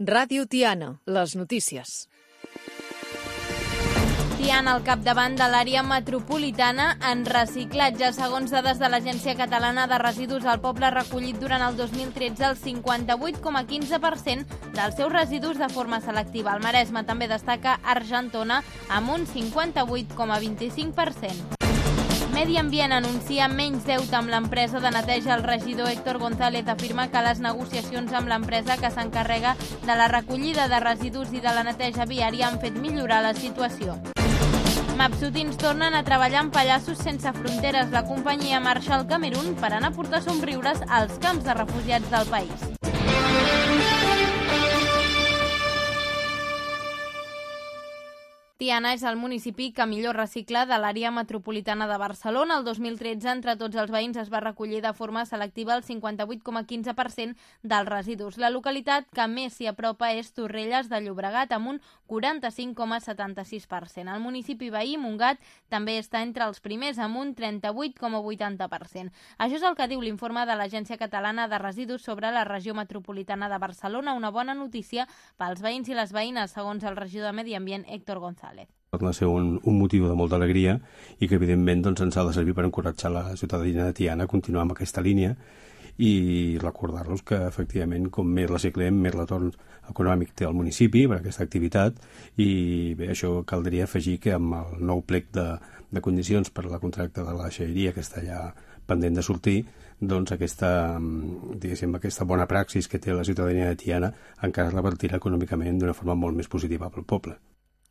Ràdio Tiana, les notícies. Tiana al capdavant de l'àrea metropolitana en reciclatge. Segons dades de l'Agència Catalana de Residus, el poble ha recollit durant el 2013 el 58,15% dels seus residus de forma selectiva. El Maresme també destaca Argentona amb un 58,25%. Medi Ambient anuncia menys deute amb l'empresa de neteja. El regidor Héctor González afirma que les negociacions amb l'empresa que s'encarrega de la recollida de residus i de la neteja viària han fet millorar la situació. Mapsutins tornen a treballar amb Pallassos Sense Fronteres. La companyia marxa al Camerun per anar a portar somriures als camps de refugiats del país. Tiana és el municipi que millor recicla de l'àrea metropolitana de Barcelona. El 2013, entre tots els veïns, es va recollir de forma selectiva el 58,15% dels residus. La localitat que més s'hi apropa és Torrelles de Llobregat, amb un 45,76%. El municipi veí, Montgat, també està entre els primers, amb un 38,80%. Això és el que diu l'informe de l'Agència Catalana de Residus sobre la regió metropolitana de Barcelona. Una bona notícia pels veïns i les veïnes, segons el regidor de Medi Ambient, Héctor González. Va ser un motiu de molta alegria i que evidentment ens ha de servir per encoratjar la ciutadania de Tiana a continuar amb aquesta línia i recordar-los que efectivament com més reciclem, més retorn econòmic té el municipi per aquesta activitat i bé, això caldria afegir que amb el nou plec de condicions per a la contracte de la deixalleria que està ja pendent de sortir, doncs aquesta bona praxis que té la ciutadania de Tiana encara es revertirà econòmicament d'una forma molt més positiva pel poble.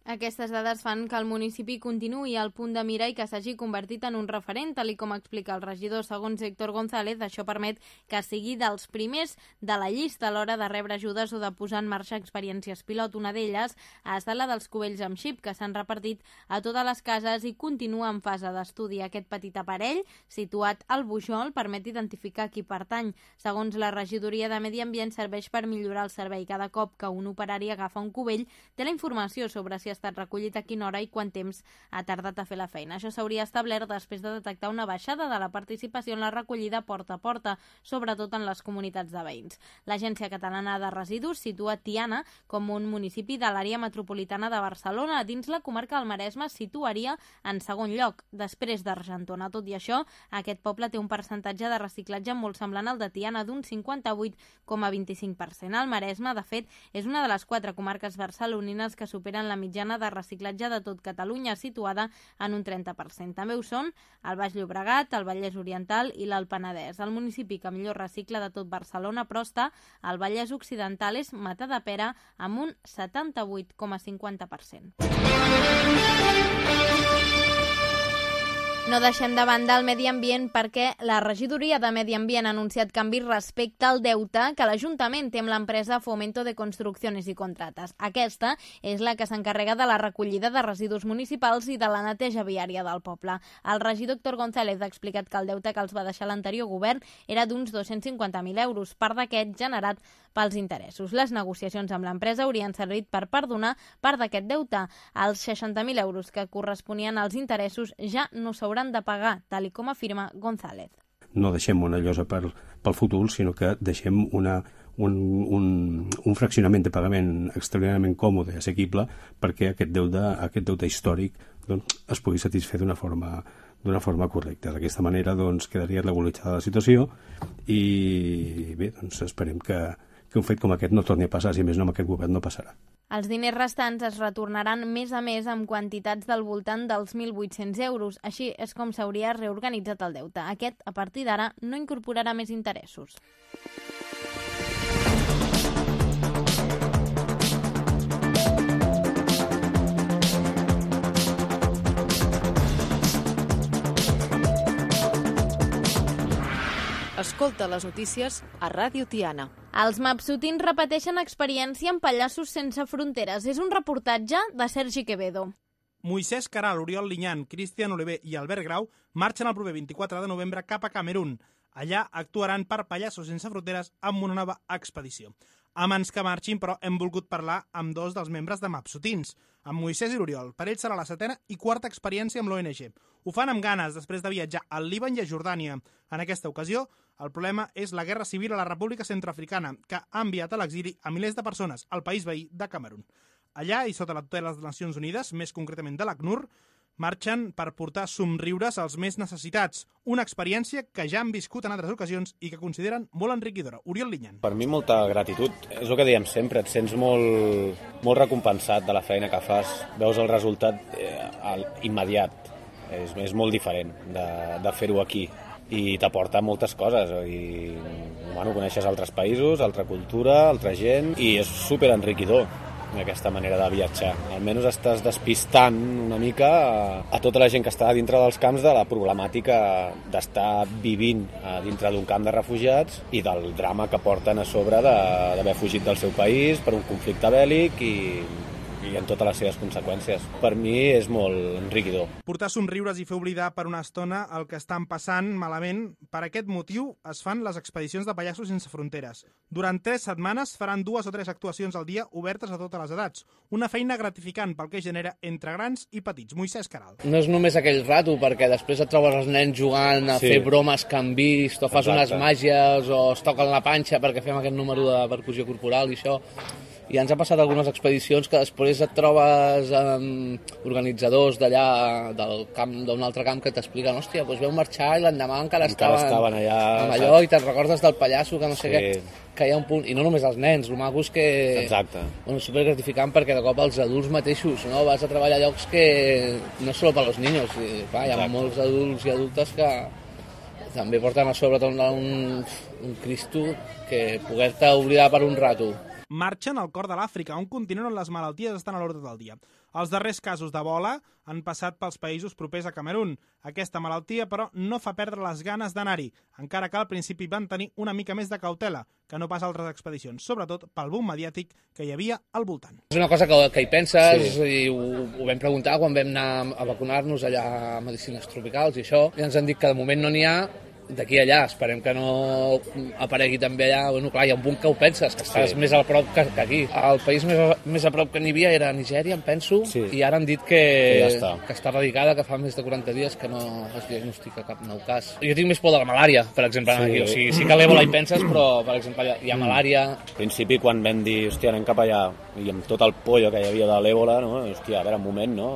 Aquestes dades fan que el municipi continuï al punt de mira i que s'hagi convertit en un referent, tal com explica el regidor. Segons Héctor González, això permet que sigui dels primers de la llista a l'hora de rebre ajudes o de posar en marxa experiències pilot. Una d'elles ha estat la dels cubells amb xip, que s'han repartit a totes les cases i continua en fase d'estudi. Aquest petit aparell, situat al Bujol, permet identificar qui pertany. Segons la regidoria de Medi Ambient, serveix per millorar el servei. Cada cop que un operari agafa un cubell, té la informació sobre si ha estat recollit, a quina hora i quant temps ha tardat a fer la feina. Això s'hauria establert després de detectar una baixada de la participació en la recollida porta a porta, sobretot en les comunitats de veïns. L'Agència Catalana de Residus situa Tiana com un municipi de l'àrea metropolitana de Barcelona. Dins la comarca del Maresme situaria en segon lloc, després d'Argentona. Tot i això, aquest poble té un percentatge de reciclatge molt semblant al de Tiana, d'un 58,25%. El Maresme, de fet, és una de les 4 comarques barcelonines que superen la mitjana de reciclatge de tot Catalunya, situada en un 30%. També ho són el Baix Llobregat, el Vallès Oriental i l'Alt Penedès. El municipi que millor recicla de tot Barcelona, però està al Vallès Occidental, és Matadepera, amb un 78,50%. No deixem de banda el medi ambient perquè la regidoria de Medi Ambient ha anunciat canvis respecte al deute que l'Ajuntament té amb l'empresa Fomento de Construcciones y Contratas. Aquesta és la que s'encarrega de la recollida de residus municipals i de la neteja viària del poble. El regidor Héctor González ha explicat que el deute que els va deixar l'anterior govern era d'uns 250.000 euros, part d'aquest generat pels interessos. Les negociacions amb l'empresa haurien servit per perdonar part d'aquest deute. Els 60.000 euros que corresponien als interessos ja no s'hauran de pagar, tal com afirma González. No deixem una llosa pel futur, sinó que deixem un fraccionament de pagament extraordinàriament còmode i assequible perquè aquest deute històric es pugui satisfer d'una forma correcta. D'aquesta manera quedaria regularitzada la situació i bé, esperem que un fet com aquest no torni a passar, si més no amb aquest govern no passarà. Els diners restants es retornaran mes a mes amb quantitats del voltant dels 1.800 euros. Així és com s'hauria reorganitzat el deute. Aquest, a partir d'ara, no incorporarà més interessos. Escolta les notícies a Ràdio Tiana. Els mapsutins repeteixen experiència en Pallassos Sense Fronteres. És un reportatge de Sergi Quevedo. Moisès Caral, Oriol Linyan, Cristian Oliver i Albert Grau marxen el proper 24 de novembre cap a Camerun. Allà actuaran per Pallassos Sense Fronteres amb una nova expedició. Abans que marxin, però, hem volgut parlar amb dos dels membres de Mapsutins, amb Moisès i l'Oriol. Per ells serà la 7a i 4a experiència amb l'ONG. Ho fan amb ganes després de viatjar al Líban i a Jordània. En aquesta ocasió El problema és la guerra civil a la República Centroafricana, que ha enviat a l'exili a milers de persones al país veí de Camerun. Allà, i sota la tutela de les Nacions Unides, més concretament de l'ACNUR, marxen per portar somriures als més necessitats. Una experiència que ja han viscut en altres ocasions i que consideren molt enriquidora. Oriol Linyan. Per mi molta gratitud. És el que dèiem sempre, et sents molt recompensat de la feina que fas. Veus el resultat immediat. És molt diferent de fer-ho aquí. I t'aporta moltes coses. I, coneixes altres països, altra cultura, altra gent, i és superenriquidor aquesta manera de viatjar. Almenys estàs despistant una mica a tota la gent que està dintre dels camps de la problemàtica d'estar vivint dintre d'un camp de refugiats i del drama que porten a sobre d'haver fugit del seu país per un conflicte bèl·lic i en totes les seves conseqüències. Per mi és molt enriquidor. Portar somriures i fer oblidar per una estona el que estan passant malament. Per aquest motiu es fan les expedicions de Pallassos Sense Fronteres. Durant 3 setmanes faran 2 o 3 actuacions al dia obertes a totes les edats. Una feina gratificant pel que genera entre grans i petits. Moisès Caral. No és només aquell rato, perquè després et trobes els nens jugant a fer bromes que han vist, o fas unes màgies, o es toquen la panxa perquè fem aquest número de percussió corporal i això. I ens ha passat algunes expedicions que després et trobes amb organitzadors d'allà, d'un altre camp, que t'expliquen, hòstia, doncs veu marxar i l'endemà encara estaven allà amb allò, i te'n recordes del pallasso, que no sé què, que hi ha un punt, i no només els nens, el maco és que... Exacte. Bueno, supergratificant perquè de cop els adults mateixos, no? Vas a treballar a llocs que no és solo per als niños, i, clar, hi ha molts adults i adultes que també porten a sobre un Cristo que poder-te oblidar per un rato. Marxen al cor de l'Àfrica, un continent on les malalties estan a l'ordre del dia. Els darrers casos d'Ebola han passat pels països propers a Camerun. Aquesta malaltia, però, no fa perdre les ganes d'anar-hi, encara que al principi van tenir una mica més de cautela, que no pas altres expedicions, sobretot pel boom mediàtic que hi havia al voltant. És una cosa que hi penses, i ho vam preguntar quan vam anar a vacunar-nos allà a Medicines Tropicals i això, i ens han dit que de moment no n'hi ha. D'aquí a allà, esperem que no aparegui també allà. Bueno, clar, hi ha un punt que ho penses, que estàs més a prop que aquí. El país més a prop que n'hi havia era Nigèria, em penso, i ara han dit que està erradicada, que fa més de 40 dies que no es diagnostica cap nou cas. Jo tinc més por de la malària, per exemple, aquí. O sigui, sí que a l'Ebola hi penses, però, per exemple, hi ha malària. Al principi, quan vam dir, hòstia, anem cap allà, i amb tot el pollo que hi havia de l'Ebola, no? Hòstia, a veure, un moment, no?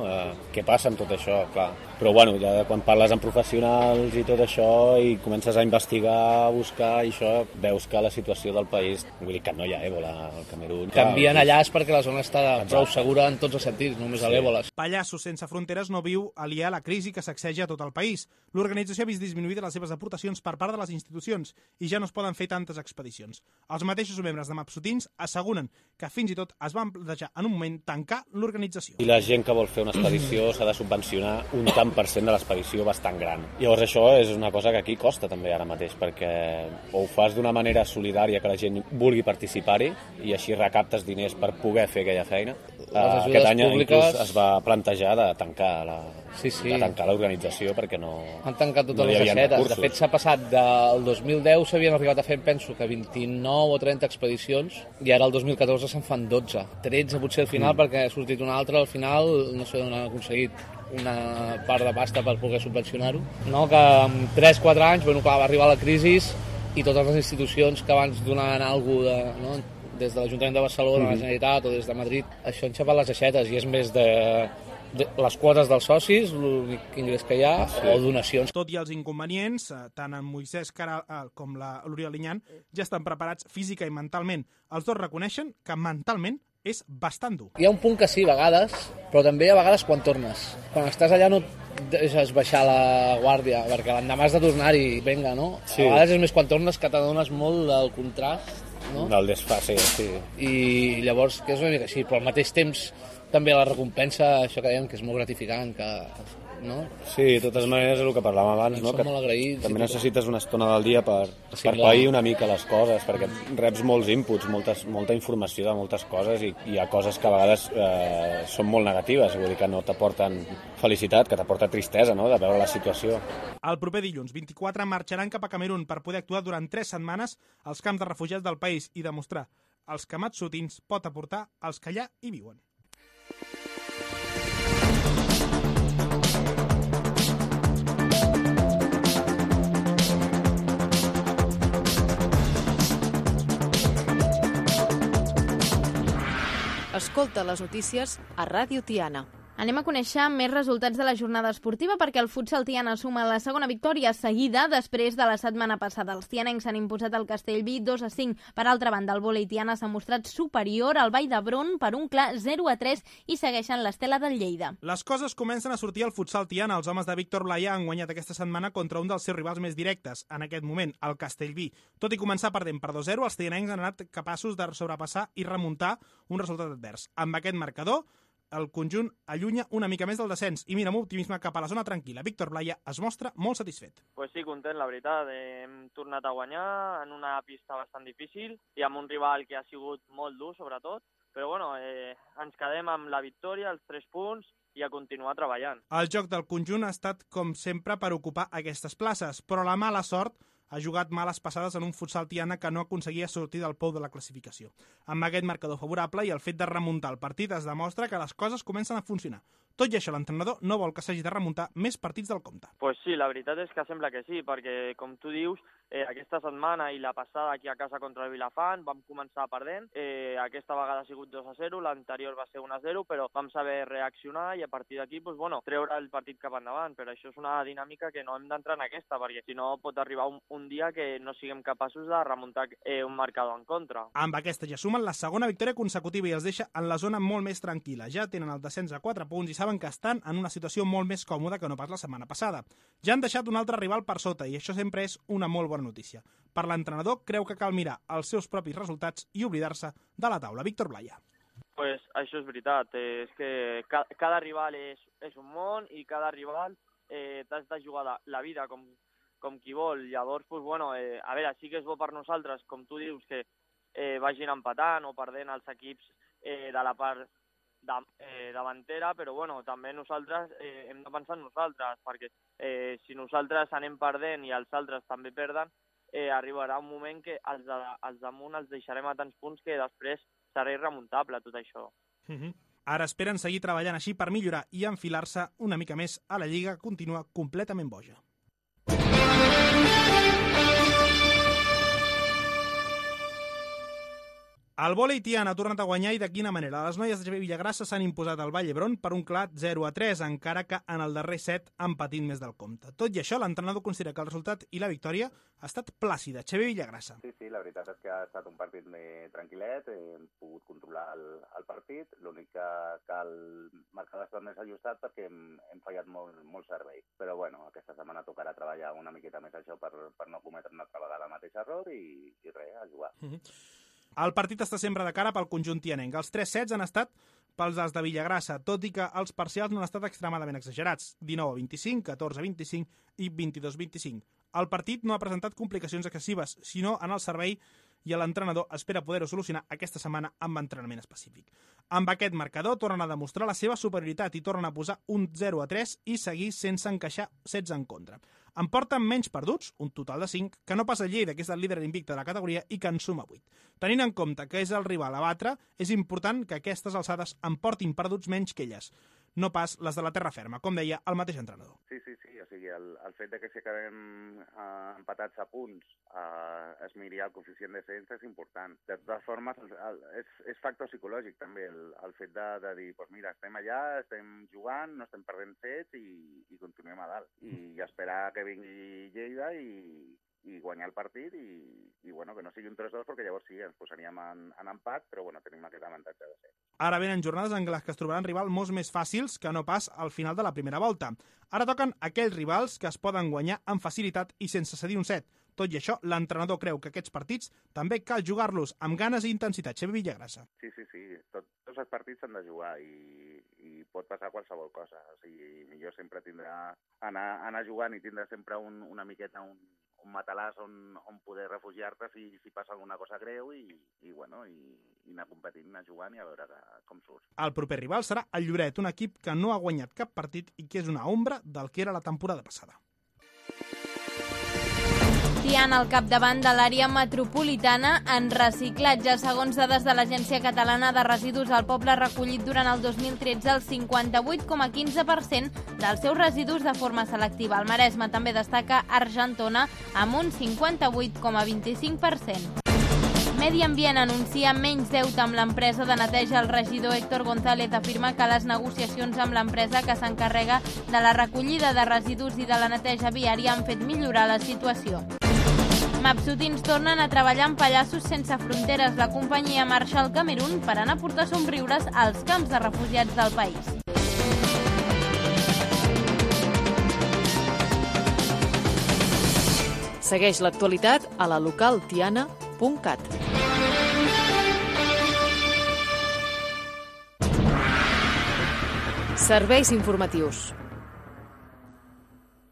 Què passa amb tot això? Clar. Però, bueno, ja quan parles amb professionals i tot això, i comences a investigar, a buscar, i això, veus que la situació del país, vull dir que no hi ha èbola al Camerun. Canvien allà és perquè la zona està prou segura en tots els sentits, només a l'èbola. Pallassos Sense Fronteres no viu aliè a la crisi que sacseja a tot el país. L'organització ha vist disminuïdes les seves aportacions per part de les institucions i ja no es poden fer tantes expedicions. Els mateixos membres de Mapsutins asseguren que fins i tot es van plantejar en un moment tancar l'organització. I la gent que vol fer una expedició s'ha de subvencionar un tant % de l'expedició bastant gran. Llavors això és una cosa que aquí costa també ara mateix, perquè o ho fas d'una manera solidària que la gent vulgui participar-hi i així recaptes diners per poder fer aquella feina. Aquest any inclús es va plantejar de tancar l'organització perquè no han tancat totes les aixetes. De fet, s'ha passat del 2010, s'havien arribat a fer, penso que 29 o 30 expedicions, i ara el 2014 se'n fan 12. 13 potser al final, perquè ha sortit una altra al final, no sé on han aconseguit una part de pasta per poder subvencionar-ho. No, que en 3-4 anys, bueno, clar, va arribar la crisi i totes les institucions que abans donaven alguna cosa, no? Des de l'Ajuntament de Barcelona, la Generalitat o des de Madrid, això han xapat les aixetes i és més de les quotes dels socis, l'únic ingrés que hi ha, o donacions. Tot i els inconvenients, tant en Moisès Caral com l'Oriol Linyan ja estan preparats física i mentalment. Els dos reconeixen que mentalment és bastant dur. Hi ha un punt que sí, a vegades, però també a vegades quan tornes. Quan estàs allà no deixes baixar la guàrdia, perquè l'endemà has de tornar-hi, vinga, no? Sí. A vegades és més quan tornes que t'adones molt del contrast, no? Del desfase, sí. I llavors, que és una mica així, però al mateix temps també la recompensa, això que dèiem, que és molt gratificant, que... no? Sí, de totes maneres és el que parlàvem abans, no? Que molt agraïts, també necessites una estona del dia per pair una mica les coses, perquè reps molts inputs, molta informació de moltes coses i hi ha coses que a vegades són molt negatives, vull dir que no t'aporten felicitat, que t'aporta tristesa, no?, de veure la situació. El proper dilluns 24 marxaran cap a Camerun per poder actuar durant 3 setmanes als camps de refugiats del país i demostrar els que Mapsutins pot aportar als que allà hi viuen. Escolta les notícies a Ràdio Tiana. Anem a conèixer més resultats de la jornada esportiva perquè el futsal Tiana suma la segona victòria seguida després de la setmana passada. Els tianencs s'han imposat al Castellví 2-5. Per altra banda, el vòlei Tiana s'ha mostrat superior al Vall d'Hebron per un clar 0-3 i segueixen l'estela del Lleida. Les coses comencen a sortir al futsal Tiana. Els homes de Víctor Blaya han guanyat aquesta setmana contra un dels seus rivals més directes, en aquest moment, el Castellví. Tot i començar perdent per 2-0, els tianencs han anat capaços de sobrepassar i remuntar un resultat advers. Amb aquest marcador, el conjunt allunya una mica més del descens i mira amb optimisme cap a la zona tranquil·la. Víctor Blaya es mostra molt satisfet. Pues sí, content, la veritat. Hem tornat a guanyar en una pista bastant difícil i amb un rival que ha sigut molt dur, sobretot. Però bueno, ens quedem amb la victòria, els 3 punts i a continuar treballant. El joc del conjunt ha estat, com sempre, per ocupar aquestes places, però la mala sort ha jugat males passades en un futsal Tiana que no aconseguia sortir del pou de la classificació. Amb aquest marcador favorable i el fet de remuntar el partit es demostra que les coses comencen a funcionar. Tot i això, l'entrenador no vol que s'hagi de remuntar més partits del compte. Pues sí, la veritat és que sembla que sí, perquè, com tu dius, aquesta setmana i la passada aquí a casa contra el Vilafant vam començar perdent. Aquesta vegada ha sigut 2-0, l'anterior va ser 1-0, però vam saber reaccionar i a partir d'aquí, pues, bueno, treure el partit cap endavant. Però això és una dinàmica que no hem d'entrar en aquesta, perquè si no pot arribar un dia que no siguem capaços de remuntar un marcador en contra. Amb aquesta ja sumen la segona victòria consecutiva i els deixa en la zona molt més tranquil·la. Ja tenen el descens a 4 punts i saben que estan en una situació molt més còmoda que no pas la setmana passada. Ja han deixat un altre rival per sota i això sempre és una molt bona notícia. Per l'entrenador creu que cal mirar els seus propis resultats i oblidar-se de la taula. Víctor Blaya. Pues això és veritat, és que cada rival és un món i cada rival t'has de jugar la vida com qui vol. Llavors, pues, bueno, a veure, sí que és bo per nosaltres, com tu dius, que vagin empatant o perdent els equips de la part davantera, però bueno, també nosaltres hem de pensar en nosaltres, perquè si nosaltres anem perdent i els altres també perden, arribarà un moment que els damunt els deixarem a tants punts que després serà irremuntable tot això. Ara esperen seguir treballant així per millorar i enfilar-se una mica més a la Lliga, que continua completament boja. El vòlei Tiana ha tornat a guanyar i de quina manera. Les noies de Villagrassa s'han imposat al Vall d'Hebron per un clar 0-3, encara que en el darrer set han patit més del compte. Tot i això, l'entrenador considera que el resultat i la victòria ha estat plàcida. Xavier Villagrassa. Sí, la veritat és que ha estat un partit més tranquil·let, hem pogut controlar el partit, l'únic que el marcador ha estat més ajustat perquè hem fallat molt servei. Però bueno, aquesta setmana tocarà treballar una miqueta més això per no cometre una altra vegada el mateix error i res, a jugar. El partit està sempre de cara pel conjunt tianenc. Els 3 sets han estat pels dels de Villagrassa, tot i que els parcials no han estat extremadament exagerats. 19-25, 14-25 i 22-25. El partit no ha presentat complicacions excessives, sinó en el servei, i l'entrenador espera poder-ho solucionar aquesta setmana amb entrenament específic. Amb aquest marcador tornen a demostrar la seva superioritat i tornen a posar un 0-3 i seguir sense encaixar sets en contra. En porten menys perduts, un total de 5, que no pas el Lleida, que és el líder invicte de la categoria i que en suma 8. Tenint en compte que és el rival a batre, és important que aquestes alçades en portin perduts menys que elles, no pas les de la terra ferma, com deia el mateix entrenador. Sí, o sigui, el fet de que si acabem empatats a punts es miri el coeficient de descens és important. De totes formes, és factor psicològic també el fet de dir, pues mira, estem allà, estem jugant, no estem perdent sets i continuem a dalt. I esperar que vingui Lleida i guanyar el partit i bueno, que no sigui un 3-2 perquè llavors sí, ens posaríem en empat, però bueno, tenim aquest avantatge de ser. Ara venen jornades en les que es trobaran rivals molt més fàcils que no pas al final de la primera volta. Ara toquen aquells rivals que es poden guanyar amb facilitat i sense cedir un set. Tot i això, l'entrenador creu que aquests partits també cal jugar-los amb ganes i intensitat. Xavier Villagrassa. Sí. Tots els partits s'han de jugar i pot passar qualsevol cosa. O sigui, millor sempre tindrà anar jugant i tindrà sempre una miqueta un matalàs on poder refugiar-te si passa alguna cosa greu i anar competint, anar jugant i a veure com surt. El proper rival serà el Lloret, un equip que no ha guanyat cap partit i que és una ombra del que era la temporada passada. Tiana al capdavant de l'àrea metropolitana en reciclatge. Segons dades de l'Agència Catalana de Residus, el poble ha recollit durant el 2013 el 58,15% dels seus residus de forma selectiva. Al Maresme també destaca Argentona amb un 58,25%. Medi Ambient anuncia menys deute amb l'empresa de neteja. El regidor Héctor González afirma que les negociacions amb l'empresa que s'encarrega de la recollida de residus i de la neteja viària han fet millorar la situació. Mapsutins tornen a treballar amb Pallassos Sense Fronteres. La companyia marxa al Camerun per anar a portar somriures als camps de refugiats del país. Segueix l'actualitat a la localtiana.cat. Serveis informatius.